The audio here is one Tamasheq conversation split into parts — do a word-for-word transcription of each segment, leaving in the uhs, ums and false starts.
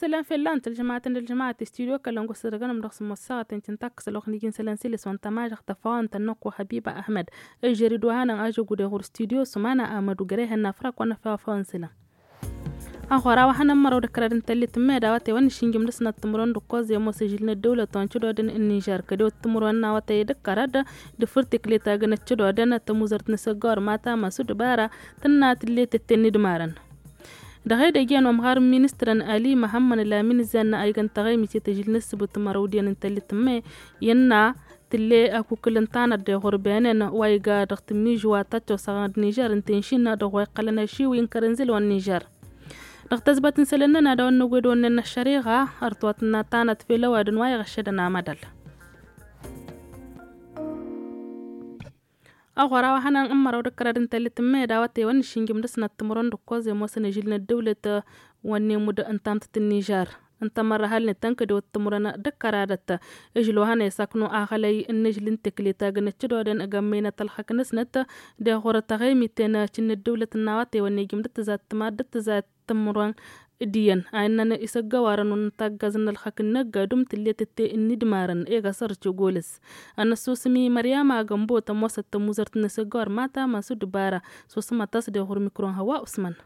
Isălan fell-a n-tălžămat n-ălžămat i-studyo kălăn gosădăgăn ămdăɣ s-măssăɣăt n-tintăkkăs ălwăqq n-iji n-isălan s-iles wa n-tamažăɣt tăfawăn tănnăkku habiba ahmed. Ǝžžăr-dd wa hanăn ažăggu d-eɣur studyo s-umana amădu gărehăn n-afrak wa n-afawăn isălan. Aɣora wa hanăn măraw d-kărăd n-tăllit n-meda wa tewăn n-išǝnjǝm d-asnăt timǝrwen d-ǝkkoẓ i-ămoos ažǝl n-ăddăwlăt wa n-cădodăn n-nižer kădew timǝrwen n-a wa tey d-kărăd d-fǝrtǝklet agǝn ăccădodăn tămuzărt n-asăggawăr mata măsu d-bara tǝnna tǝllet ǝtten n-idmarăn. Dăɣ-edăgg iyyăn wa ămɣar n-ministrăn ali măhămmăn lamin zennă a igăn taɣăymit i-tăžǝl n-ǝssǝbǝt mărăw d-iyyăn n-tăllit n-me innă tǝlle akukǝl n-tanăt d-eɣurbenen wa iga dăɣ-tǝmmižu wa tăccosăɣăn d-nižer n-tenšin dăɣ-wa iqqălăn ašiwi n-kărănzǝl wa n-nižer. Dăɣ-tăzbăt n-isălan-nănăɣ ad-awăn năgwed-onnen n-ăššăriɣa ărtwăt n-tanăt fel ăwadǝn wa iɣăššădăn amădăl. Aɣora wa hănăn n-măraw d-kărăd n-tăllit n-meda wa tewăn n-išǝnjǝm d-asnăt timǝrwen d-ǝkkoẓ i-ămoosăn ažǝl n-ăddăwlăt wa n-emud n-tamtăt n-nižer. Ǝnta mărrăhălnet tăn-kădewăt timǝrwen d-kăradăt. Ažǝl wa hănăn isaknu aɣălăy n-ažǝl n-teklet agǝn ăccădodăn ăgg ămmăynăt ălxăk-năsnăt d-eɣurăt taɣăymiten cǝnn ăddăwlăt n-a-wa tewăn nejǝm d-tǝzat timad d-tǝzat timǝrwen d-iyyăn a innăn isăggăwarăn wa n-taggaz n-ălxăk n-năgg adum tǝllet ǝtte n-idmarăn egăsăr cǝgolăs. Ănăssusǝm i-măryama gămbo tămoosăt tămuzărt n-isăggăwar mata măsu d-bara. Susǝmăt a-s d-eɣur mikro n-hăwa usman.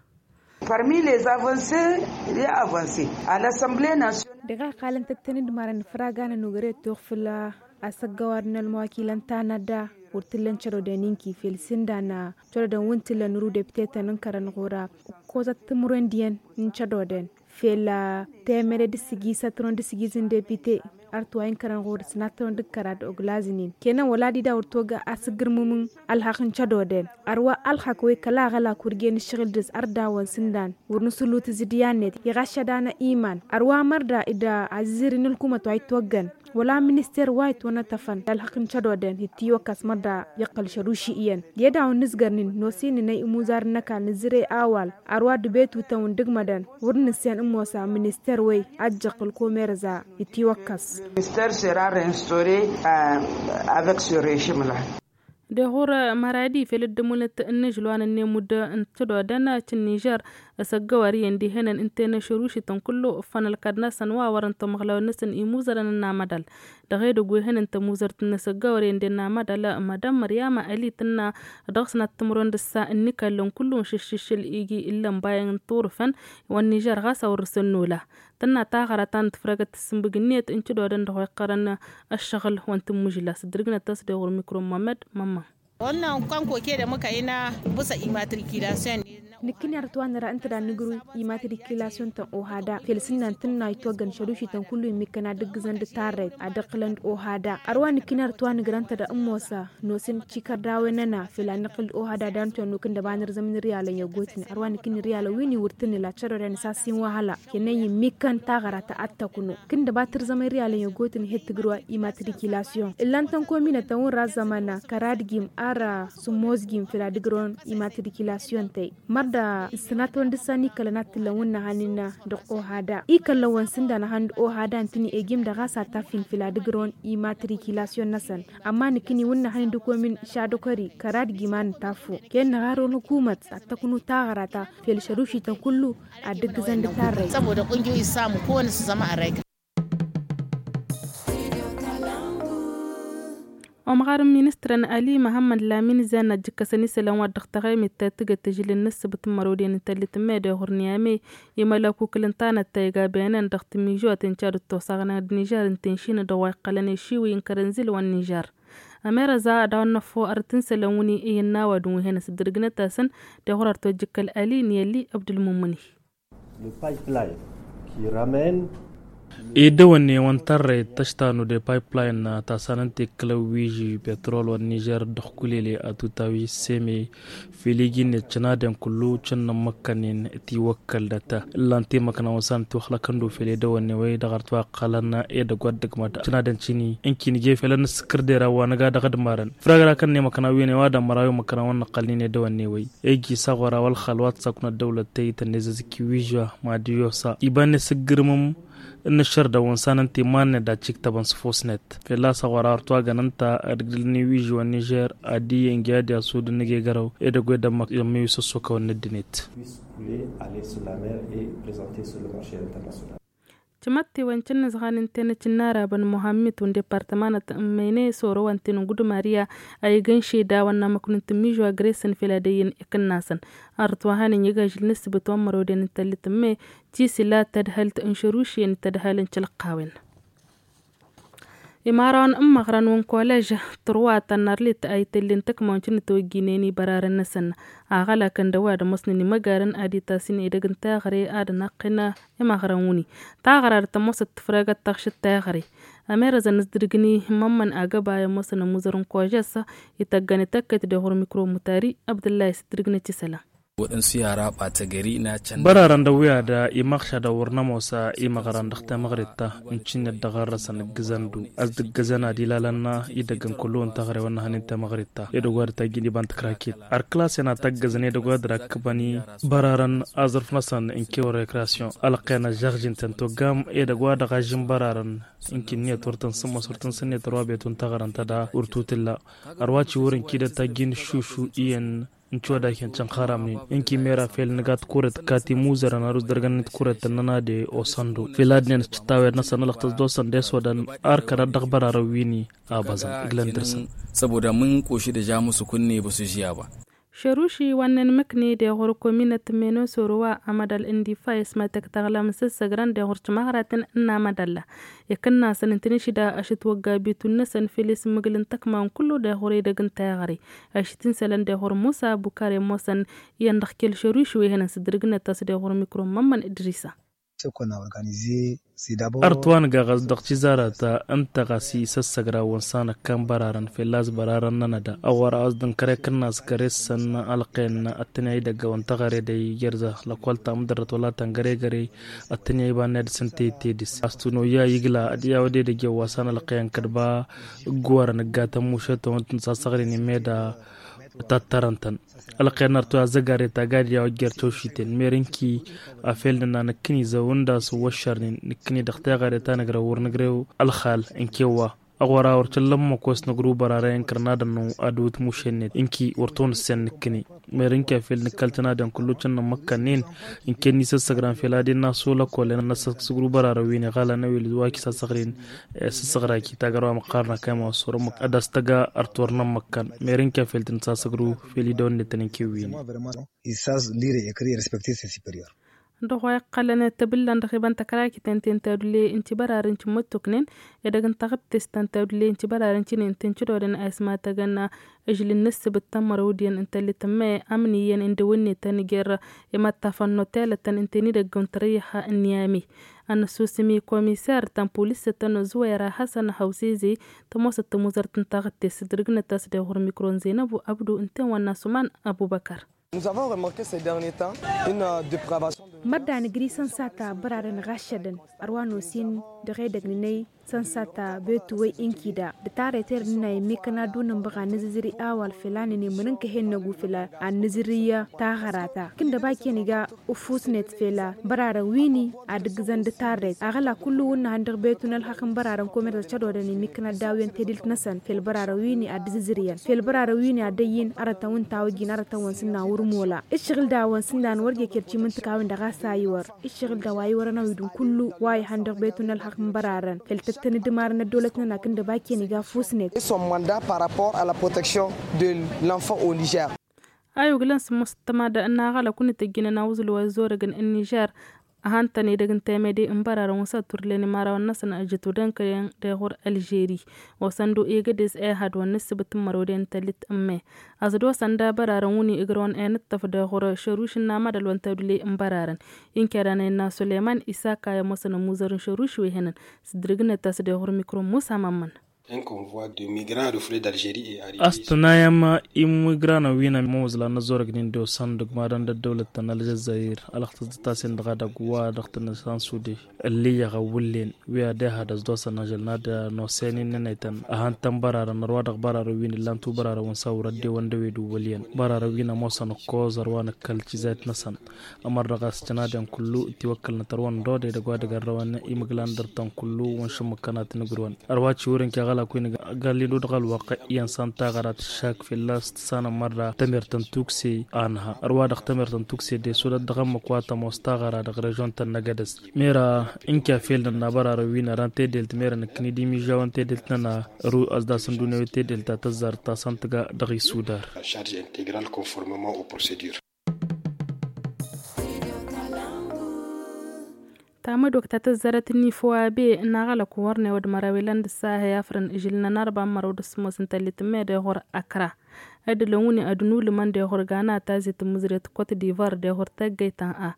Parmi les avancées, il y a avancé à l'assemblée nationale. Dăɣ-a iqqalăn tăt-tăn-dd marăn ifraganăn ugrăy tuɣ făll-asăggăwar n-ălmawakilăn tanădda wăr t-ǝllăn căroden inki fel s-ǝndan căroden wǝnn t-ǝllăn uru deptetăn n-kărăn ɣur-a ǝkkozăt timǝrwen d-iyyăn n-căroden fel temăre d-sǝgizăt tăron d-sǝgiz n-depite. Ărtwa inkărăn ɣur-s natăron d-kăra d-oglaznin kenăn wăla d-ida wăr togga asǝggǝrmǝmǝn ălxăq n-cădoden. Ărwa ălxăq wa ikăla aɣălak wăr gen ǝššăɣǝl dăɣ-s ărdawăn s-ǝndan wăr nǝsǝllu tǝzǝdyannet iɣăššăd-anăɣ iman. Ărwa mărda ida azǝzǝri n-ălkumăt wa ittoggăn wăla minister wa itwănătăfăn ălxăq n-cădoden ittiwăkkăs mărda iqqăl šăruši iyyăn. Ed a-wa n-nǝzgărnin nosǝyăn inăy imuzarăn n-ăkall nǝzzǝrăy awal. Ărwa dăbetutăn wa n-dăgmădăn wăr nǝssin ămoos a minister wăy ăjjăɣ ălkumer za ittiwăkkăs. Minister sera reinstauré avec ce regime la. Deɣur măradi fel ăddămulăt n-ažǝl wa n-ănnemudd n-tădodăn cǝnnižer. Asăggăwar iyyăn dihenăn ǝnta i-năšărušităn kullu ǝffăn ălkăd-năsăn wa wărăn tamăɣlawăn-năsăn imuzărăn n-amădal. Dăɣ-edăgg wa ihănăn tămuzărt n-asăggăwar iyyăn d-ennamădal madam măryama ali tǝnna dăɣ-s năttămrăwăn dăr-s ǝnnikăllăn kullu n-šǝššǝššǝl iji ǝllăn bayăn n-turǝfăn wa n-nižer ɣas a wăr-săn nola. Tǝnna taɣăra ta n-tǝfrăgăt tǝssǝmbǝg-net n-cǝdodăn dăɣ-wa iqqărăn ăššăɣǝl wa n-tǝmmǝžla s-dd-ǝrgnăt a-s deɣur mikro n-mămăd mămma. Wănnan kănkoke dăɣ-măkăyna bǝsăt imatrikilasyon. Nǝkkǝni arăt wa nǝra ǝnta da nǝgrǝw imatrikilasyon ta n-ohada fel s-ǝnnan tǝnna itwăggăn šărušităn kullu immikkăn ad-dd-ǝggǝzăn d-tarrăyt ad-ǝqqǝlăn d-ohada. Ărwa nǝkkǝni arăt wa nǝgrăn-ta da ǝmmos a nosǝn cikărdawăn-nănăɣ fel ad-nǝqqǝl d-ohada da n-tănnu kǝndăba n-ărzăm n-irriyalăn i-ăggootnen ărwa nǝkkǝni irriyalăn wi n-iwǝrtǝnǝl ad-cărăren s-ass-in wa hăla. Kănăy immikăn taɣăra ta ad-tăknu kǝndăba tǝrzăm irriyalăn i-ăggootnen he-d tǝgrǝw imatrikilasyon ǝllan-tăn kominătăn wǝnra ăzzăman kăra d-gim ar sǝmmos gim fel ad-ǝgrǝwăn imatrikilasyon tăy. Mărda ǝssănatăwăn dăɣ-s a n-ikălăn ad-t-ǝllăn wǝnnăhăn innă dăɣ-ohada ikăllăn-wăn s-ǝndanăhăn d-ohada ǝntǝni egim-dăɣ a-s ad-t-affin fel ad-ǝgrǝwăn imatrikilasyon-năsăn. Ămma nǝkkǝni wǝnnăhăn d-ǝkomin šadăkori kăra d-gim a nǝtaffu kăyăn-năɣ arăwăn ălkumăt ad-tăknu taɣăra ta fel šărušităn kullu ad-dd-ǝggǝzăn d-tarrăy. Săboda kunjui s-samu kăwăn-s zăma ărrăy. Omɣar n-ministrăn ali măhămmăd lamin zan ăjjǝkkăsăn isălan wa dd-ăɣtăɣemit ta tǝgăt tǝžǝl n-ǝssǝbǝt n-mărăwden n-tăllit n-mede ɣur-niyame. Imălăkukǝl n-tanăt ta iga benen dăɣ-timižoten ca dd-tosaɣnen d-nižer n-tenšinăt dăɣ-wa iqqălăn ešiwi n-kărănzǝl wa n-nižer. Ămerăza ad-awăn năffu arăt n-isălan wǝnni iyyăn n-awadǝm wi hen-ăsdărgnăt-asăn dăɣ-ɣur-arăt wa dd-jǝkkăl ali n-i-ălli ăbdǝl-mummǝni. Edăwănne wa n-tarrăyăt tăštanu de pipeline ta sanăn tekkǝlăn wi iji petrol wa n-nižer dăɣ-kulele atutawi seme fel iji-net cănaden kullu cănnăn măkkănen tiwăkkălnăt. Ǝllan-t i-măkna wa n-sanăn tiwăxlăkăn du fel edăwănne wăy dăɣ-arăt wa ǝqqălăn edăgg wa dd-ǝgmăd cănaden cini ǝnki nǝje felăn n-sǝkkărdera wa nǝga dăɣ-ădmarăn. Făr-agăra kăn-ne măkna wi n-e-wa d-ămmăra wi măkna wa n-năqqălnen edăwănne wăy. Iji s-aɣora wa ălxal wa t-saknă ăddăwlăt tăyy tănnezăzǝk i-wiža mad-iyyăsa iba n-esǝggǝrmǝm n-ašăr dăɣ-wăn sanăn timanne d-ad-tiktăbăn s-fosnet. Fălla-s aɣora arăt wa gănăn ta ad-ǝgdǝlăn i-wiža wa n-nižer ad-iyyăn gi ad-iasud n-egegărăw edăgg wa d-ămmăk i-ămmăy wi s-ăssokăwăn n-ăddinăt. Puisse couler, aller sur la mer et présenter sur le marché international. Cǝmăttewen cǝnnǝzɣan ǝnta i-năcc n-arabăn muhammit wǝn departămanăt n-mene soro wa ǝnta i-năgg udumariya a igăn šedawăn n-amăknun tǝmmižwa gresăn fel ad-ăyyăn ikǝnnasăn. Arăt wa hanăn iga ažǝl n-ǝssǝbǝt wa n-mărăwden n-tăllit n-me tisǝla tadhălt n-šărušyen tadhăl n-călăqqawen. Imarawăn n-imăɣrăn wăn-kolež tărwa tănnarlit a ităllen tăkmawăn cǝnnǝtăwăjjinen i-bărarăn-năsăn aɣălakăn d-ăwadǝm osnăn imăgarăn ad-itasǝn edăgg n-taɣre ad-năqqǝn. Imăɣrăn wǝni taɣra d-tămoosăt tǝfrăgăt taɣšǝt taɣre. Ămerăzăn s-dăr-gǝni mămmăn agăba i-ămoosăn ămuzăr n-kožăs ităggăn ităkket d-eɣur mikro mutari abdǝllah i-s-dăr-gǝni ătisăla. Bărarăn d-ăwwi ad-imăɣšad ăwwăr n-ămoos imăɣran dăɣ-temăɣrit ta n-cǝnnet dăɣ-arrăsăn ǝggǝzăn-du a-s dd-ǝggǝzăn ad-ilalăn idăggăn kullu n-taɣrewăn n-ehăn n-temăɣrit ta edăgg wa dd-tajjǝn iba n-tǝkraket. Ar kǝlasen ad-tăggăzăn edăgg wa dd-rakkăbăn i-bărarăn aẓrǝf-năsăn n-kewăr rekrasyon ălqen ăžžăɣžǝn-tăn toggam edăgg wa dăɣ-ažžǝn bărarăn n-kǝnniyăt wăr tăn-sǝmmăs wăr tăn-sǝnniyăt ărwa betu n-taɣrăn ta da wăr tutǝlla. Ărwa ciwăr n-kidăt tajjǝn šušu iyyăn n-codayhen cănxăramnen n-kimera fel nǝga tikuret kati muzărăn arus dărgăn n-tikuret tănnăna de osăndo fel ad-nen s-cǝttawed-năsăn ălăɣtăs d-osăn d-esodăn. Arkănăt dăɣ-bărarăn wini abăẓăn ǝglăn dăr-săn. Săboda mǝnkuši d-ažamus kunne băsujiyaba. Šăruši wa n-inmǝkne d-eɣur kominăt menosoro wa amădal n-difa ismatăk taɣlam s-ǝssăgrăn d-eɣur cimăɣraten n-amădal. Ikǝnnasăn ǝntăneši da ašǝt wăgga bitun-năsăn fel ismǝgǝl n-tăkma n-kullu d-eɣur edăgg n-taɣre ašǝt insălăn d-eɣur musa bukar i-ămoosăn iyyăn dăɣ-kel šăruši wa ihănăn s-dd-rǝgnăt a-s d-eɣur mikro n-mămmăn idrisa. Ărtwăn gaɣăs dăɣ-cizarăt ǝnta ɣas isăssăgra wăn sanăkkan bărarăn fălla-s bărarăn n-anăda ăɣora a-s dănkăre kǝnnas găre-săn ălqen ăttănăy dăgg-wăn tăɣăre dăy gerza lăkwăl ta mǝdărrăt wăla tăngăre găre ăttănăy iba n-ed s-ǝnta i-tedis a-s tunoyya igla ad-i-awăded ăjjăw wa san ălqen kădba ǝggǝwărăn ǝggatăn mušetăwăn tǝnsasăɣrin i-meda. Tattărăn-tăn ălqen ărtwăn azăgare ta gad i-a-wa jer-tošiten mer ǝnki afel nǝnna nǝkkǝni zăw ǝnda a-s ǝwwăššărnen nǝkkǝni dăɣ-teɣăre ta nǝgrăw wăr nǝgrew ălxal ǝnkew wa ăɣora wăr căllăn măkos nǝgru bărarăyăn kărnadăn n-adǝwǝt mušennet ǝnki wăr tonǝssen nǝkkǝni. Mer ǝnki afel nǝkkăl tănadăn kullu cǝnnăn măkkănnen ǝnken n-isăssăgran fel ad-innă asul ăkollen ad-năssăsgru bărarăn wi n-iɣalăn ăwil wa kisasăɣrin. Sǝssăɣra kitagăr wa măqqarnăk a imawăssorăn măkk ad-as-tăga ărtwărnăn măkkan. Mer ǝnki afel tǝnsasăgru fel idăwănnet tăn-inkewwin. Isas lire ekri respecte se superior. Dăɣ-wa iqqălăn tăbǝllan dăɣ-iba n-tăkrakit ǝnta i-n tadule n-tibărarăn cǝmmăttuknen edăgg n-taɣǝttest ta n-tadule n-tibărarăn cǝnen tǝncǝdodăn a ismatăgăn. Ažlǝn n-ǝssǝbǝt tămmărăwdiyăn n-tăllit n-me amǝniyăn n-dăwănne tăn-jer imăṭṭafăn n-otelătăn ǝnta i-n-idăgg n-tărăyha n-niyame. Ănnăsusǝm i-komiser ta n-pulisătăn ăzzuwera hasăn hawseze tămoosăt tămuzărt n-taɣǝttest s-dd-rǝgnăt a-s d-eɣur mikro n-zenăbu abdu ǝnta i-n wănna suman abubăkăr. Mărdan ǝgri sănsata bărarăn ɣaššădăn ărwa n-osin dăɣ-edăgg n-inăy sănsata betuwăy inkida d-tarret ernǝnna immikăn ad-dd-unǝnbăɣ ad-nǝzǝzri awal fel a nǝnimǝnǝnkăh ennăgu fel ad-nǝzǝri taɣăra ta kǝndăba ken iga ufusnet fel bărarăn wini ad-ǝggǝzăn d-tarret aɣăla kullu wǝnnăhăn dăɣ-betu n-ălxăqq n-bărarăn komersa cădodăn immikăn ad-dawǝyăn tedǝlt-năsăn fel bărarăn wini ad-dd-ǝzǝzriyăn fel bărarăn wini ad-dd-ăyyǝn arătăn wǝnta a wăjjin arătăn-wăn s-ǝnna wăr mola. Ǝššăɣǝl daw-wăn s-ǝnnan wăr jeked cimǝntǝk a-wen-dăɣ a-s a iwăr ǝššăɣǝl daw-a iwărăn a-wi-dăɣ n-kullu wa ihăn dăɣ-betu n-ălxăqq n-bărarăn fel tăttăn-dd imarăn ăddăwlăt-nănăk ǝndăba ken iga fusnet. Ayuglăn s-mustămad n-aɣălăk wǝnnǝtăjjǝnăn awǝẓǝl wa ăzzorăgăn n-nižer. Ăhan-tăn edăgg n-temede n-bărarăn wǝsat wăr len imărawăn-năsăn ăjăt wădăn kăyăn deɣ wăr ălžeri. Osăn-dd egădez ehăd wa n-nǝssǝbǝt n-mărwăden n-tăllit n-me. Ăẓ-dd osăn da bărarăn wǝnni ǝgrăwăn enǝṭṭăf deɣ wăr šăruš n-amădăl wa n-tadule n-bărarăn. Inkedan a innă suleyman isaka i-ămoosăn ămuzăr n-šăruš wi hănăn s-dd-rǝgnăt a-s deɣ wăr mikro n-musa mămmăn. A-s tǝnayăm imigranăn wi n-ămuzlan n-ăzzorăgnen d-osăn dăgg-madăn d-ăddăwlăt ta n-ălžăzzayir ălăxtăs d-tasen dăɣ-adăgg wa dăɣ-tăn-ăsansude. Ǝllǝyyăɣ ăwwǝllen wi ad-ehăd ăzdoosăn ažăl n-ad-nosenin n-enăytăn ăhăn-tăn bărarăn ărwa dăɣ-bărarăn wi n-ǝllan tubărarăn wǝnsa wăr-ăddeewăn d-ewed uwwăl iyyăn bărarăn wi n-ămoosăn ǝkkoẓ ărwa n-ǝkkăl cizayt-năsăn. Ămăr dăɣ-a-s cănadăn kullu ǝttiwăkkălnăt ărwăn dode dăgg-wa dăgg-ărrăwăn imǝglan dăr-tăn kullu wăn šǝmmǝkkăn ad-tăn-ǝgrǝwăn ărwa ciwǝr-in kăɣăl. Akwin gallido dăɣ-ălwăqq iyyăn san taɣăra tǝššak fălla-s tǝssanăm mărra tămert n-tukse. Anha ărwa dăɣ-tămert n-tukse d-esudăt dăɣ-ămmăk wa tămoos taɣăra dăɣ-režion-tăn n-egădăs. Mera n-kafel n-ănnabărarăn wi n-ărăn tedelt mera nǝkkǝni d-imižžawăn tedelt-nănăɣ. Ru ăsdasăn d-unăwet tedelt ta tăzzar ta s-ăntǝga dăɣ-isudar. Tamădok ta tăzzarăt n-ifo a be n-aɣălăk wărnew d-măraw ilan d-ǝssa heyafrăn ižǝl n-anarba n-măraw d-ǝssǝmos n-tăllit n-me d-eɣur akra. Ad-ǝlăn wǝnni ad-nulǝmăn d-eɣur gana tazit n-mǝzret kot divar d-eɣur taggăyt ta n-a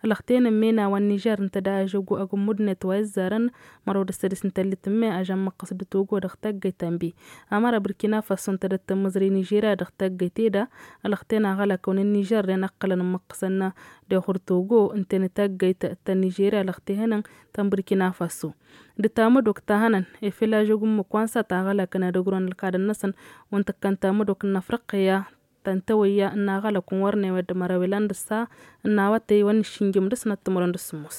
ălăxten n-mena wa n-nižer ǝnta da ažăggu agǝmmud-net wa izzarăn măraw d-ǝssădis n-tăllit n-me ažăn măqqăs d-togo dăɣ-taggăyt ta n-bi. Amăra bǝrkina faso ǝnta dăɣ-tămmăẓrăy nižerya dăɣ-taggăyt eda ălăxten aɣălakăn n-nižer ren ăqqălăn n-măqqăsăn d-eɣur togo ǝnta n-taggăyt ta n-nižerya ălăxtehănăn ta n-bǝrkina faso. D-tamădok ta hănăn efel ažăggu n-imǝkwan s-ad-taɣălakăn ad-ăgrun ălkadăn-năsăn wa n-tǝkkăn tamădok n-afriqya ta n-tawăyya n-aɣălăk n-wărnewe d-măraw ilan d-ǝssa n-awătăy wa n-išǝnjǝm dăɣ-snăt timǝrwen d-sǝmmos.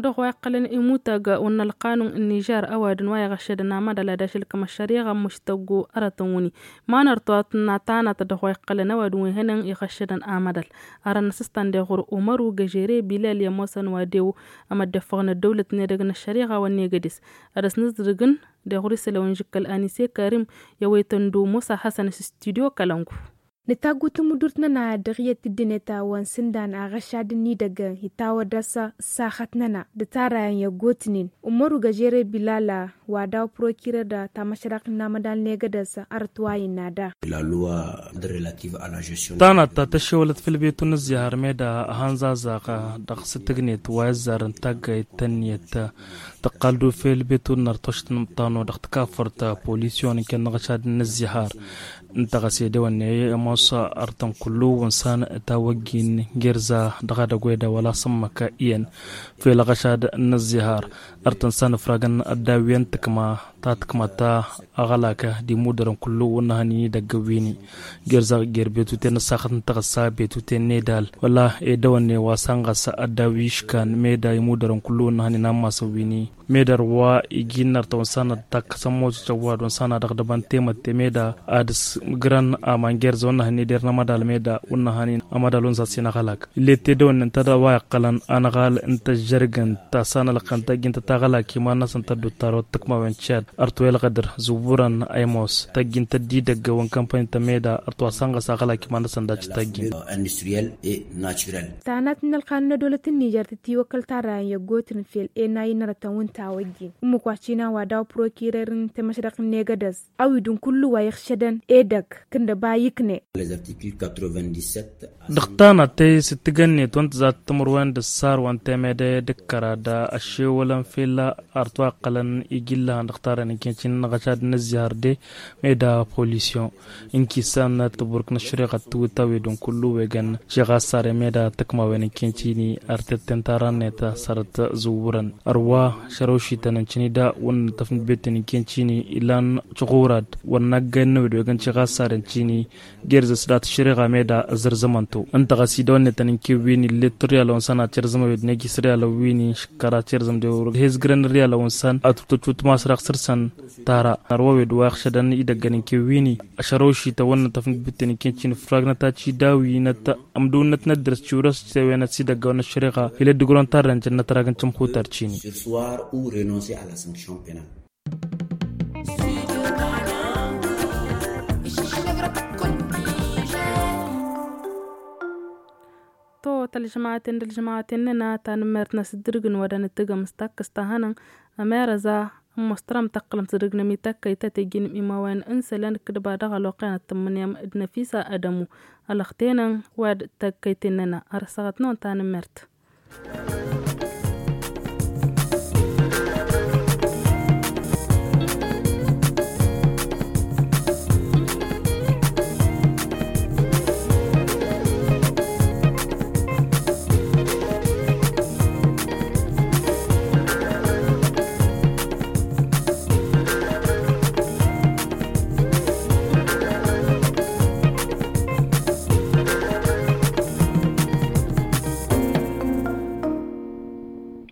Dăɣ-wa iqqălăn imutag wa n-ălqanun n-nižer ăwadǝm wa iɣăššădăn amădal ad-ašǝlkăm ăššăriɣa n-muštăggu ărătăn wǝnni ma nărtăwăt n-atanăt dăɣ-wa iqqălăn ăwadǝm wa ihănăn iɣăššădăn amădal. Arăn-năsǝstan d-eɣur umăru găžere bilal i-ămoosăn wa dew ămăddefăɣ n-ăddăwlăt n-edăgg n-ăššăriɣa wa n-egădes ad-ăsnǝzdǝrǝgăn d-eɣur isălan n-žǝkkăl anise karim i-awăytăn d-umusa hasăn s-studyo kălăngu. Nǝtaggu tǝmǝdurt-nănăɣ dăɣ-iyyăt dd-net a-wa n-sǝndan aɣăšad n-idăggăn itawăd-as ăssaxăt-nănăɣ d-tarayăn i-ăggotnen umăru găžere bilal wa daw-prokirer ta măšrăɣt n-amădal n-egădăs. Arăt wa innă da. Tanăt ta tăššewălăt făll-betu n-ǝzzihar meda ăhănzazaɣ dăɣ-s tǝgnet wa izzarăn taggayt tănniyăt tăqqal-dd ufel betu n-artošt n-imṭanu dăɣ-tǝkafărt polisyon n-kănnăɣ ašad n-ǝzzihar. Ǝnta ɣas edewănne i-ămoos artăn kullu wa n-san tawăggin gerza dăɣ-edăgg wa edăwăl a-s ǝmmăk iyyăn fel aɣăšad n-ǝzzihar. Artăn san ǝfragăn ăddaw iyyăn tǝkma ta tǝkma ta aɣălak d-imudărăn kullu wa n-ehăn inidăgg wi-ni gerza ger betuten n-ăssaxăt n-taɣǝssa betuten n-edal wăla edăwănne wa san ɣas ăddaw iškan meda imudărăn kullu wa n-ehăn inammasăn wi-ni. Medăr wa iji n-artăwăn san ad-takkăsăn motocăn wa dăɣ-dăbăn temătte meda ad-ǝsmǝgrăn aman gerza wa n-ehăn ider n-amădal meda wa n-ehăn amădal wa n-sassin aɣălak. Illet edăwănne ǝnta da wa iqqălăn anăɣal n-tăžžărgăn ta san ălqăn tăjjǝn tătaɣălak iman-năsăn tăddut tarot tǝkmawen cad ărtwelɣădăr zǝwwărăn aymos tăjjǝn tăddidăgg wa n-kămpani tămeda ărtwa san ɣas aɣălak iman-năsăn dac tăjjǝn. Tanat n-ălqanun n-ădolăt n-nižer tǝtiwăkkăl tarrayăn i-ăggootǝn fel enay n-arătăn wa n-tawăjjin ǝmmǝk wa s-ina wa daw-prokirer n-temăšrăɣt n-egădăs. Awǝdǝn kullu wa iɣšădăn edăgg kǝndăba ikne. Dăɣ-tanăt tăy s-tǝgănnet wa n-tǝzat timǝrwen d-ăssar wa n-temede d-ǝkkăra d-ăššewălăn fel arăt wa ǝqqălăn iji n-lăhăn dăɣ-tarrayăn n-kăyăn-ti n-inăɣăšad n-ăzzihar de meda polisyon. Ǝnki s-annăt tǝburk n-ăššăriɣăt tǝwǝt awǝdǝn kullu wa ijăn ciɣa ăssar i-meda tǝkmawen n-kăyăn-ti-ni ărtătten tarrănnet sărăt zǝwwărăn. Ărwa šărăwšităn n-cǝnida wăn n-tăfnǝt betten n-kăyăn-ti-ni ilan ciɣurad wăn n-aggay n-năwed wa ijăn ciɣa ăssar n-ti-ni. Gerzăs dat-ăššăriɣa meda ăzărzămăn-tu ǝnta ɣas idăwănnetăn n-kewwen illet tirriyalăn wa n-săn ad-tirzăm awed n-ejis riyalăn wi-ni šǝkkăra tirzăm d-ewrǝk hezgrăn n-riyalăn wa n-săn ad-tutăcut masraɣ săr-săn. Tara ărwa awed wa iɣšădăn idăggăn n-kewwen-i ăšărăwšităn wăn n-tăfnǝt bǝtten n-kăyăn-ti n-ifragnăt ad-t-idawi n-ămdǝwǝnnăt n-ăddrăs tiwrăs tewen ad-s-idăgg a-wen ăššăriɣa. Ilăt dăgg-wăr-ănn tarrăn jănnăt ragăn cǝmxutăr cini. To tălžămaten d-ălžămaten-nănăɣ tanǝmmert n-asǝddǝrǝgăn wa dăɣ-nǝttǝgăm s-takkăs ta hănăn. Ămerăza ămoos tărăm tăqqălăm s-dd-ǝgnăm i-takkăyt ta tejjǝnăm imawayen n-isălan d-kǝdba dăɣ-ălwăqq-en ad-tǝmmǝnǝyăm d-năfisa ădămu. Ălăxtenăn wa d-takkăyten-nănăɣ ărăsăɣăt-năwăn tanǝmmert.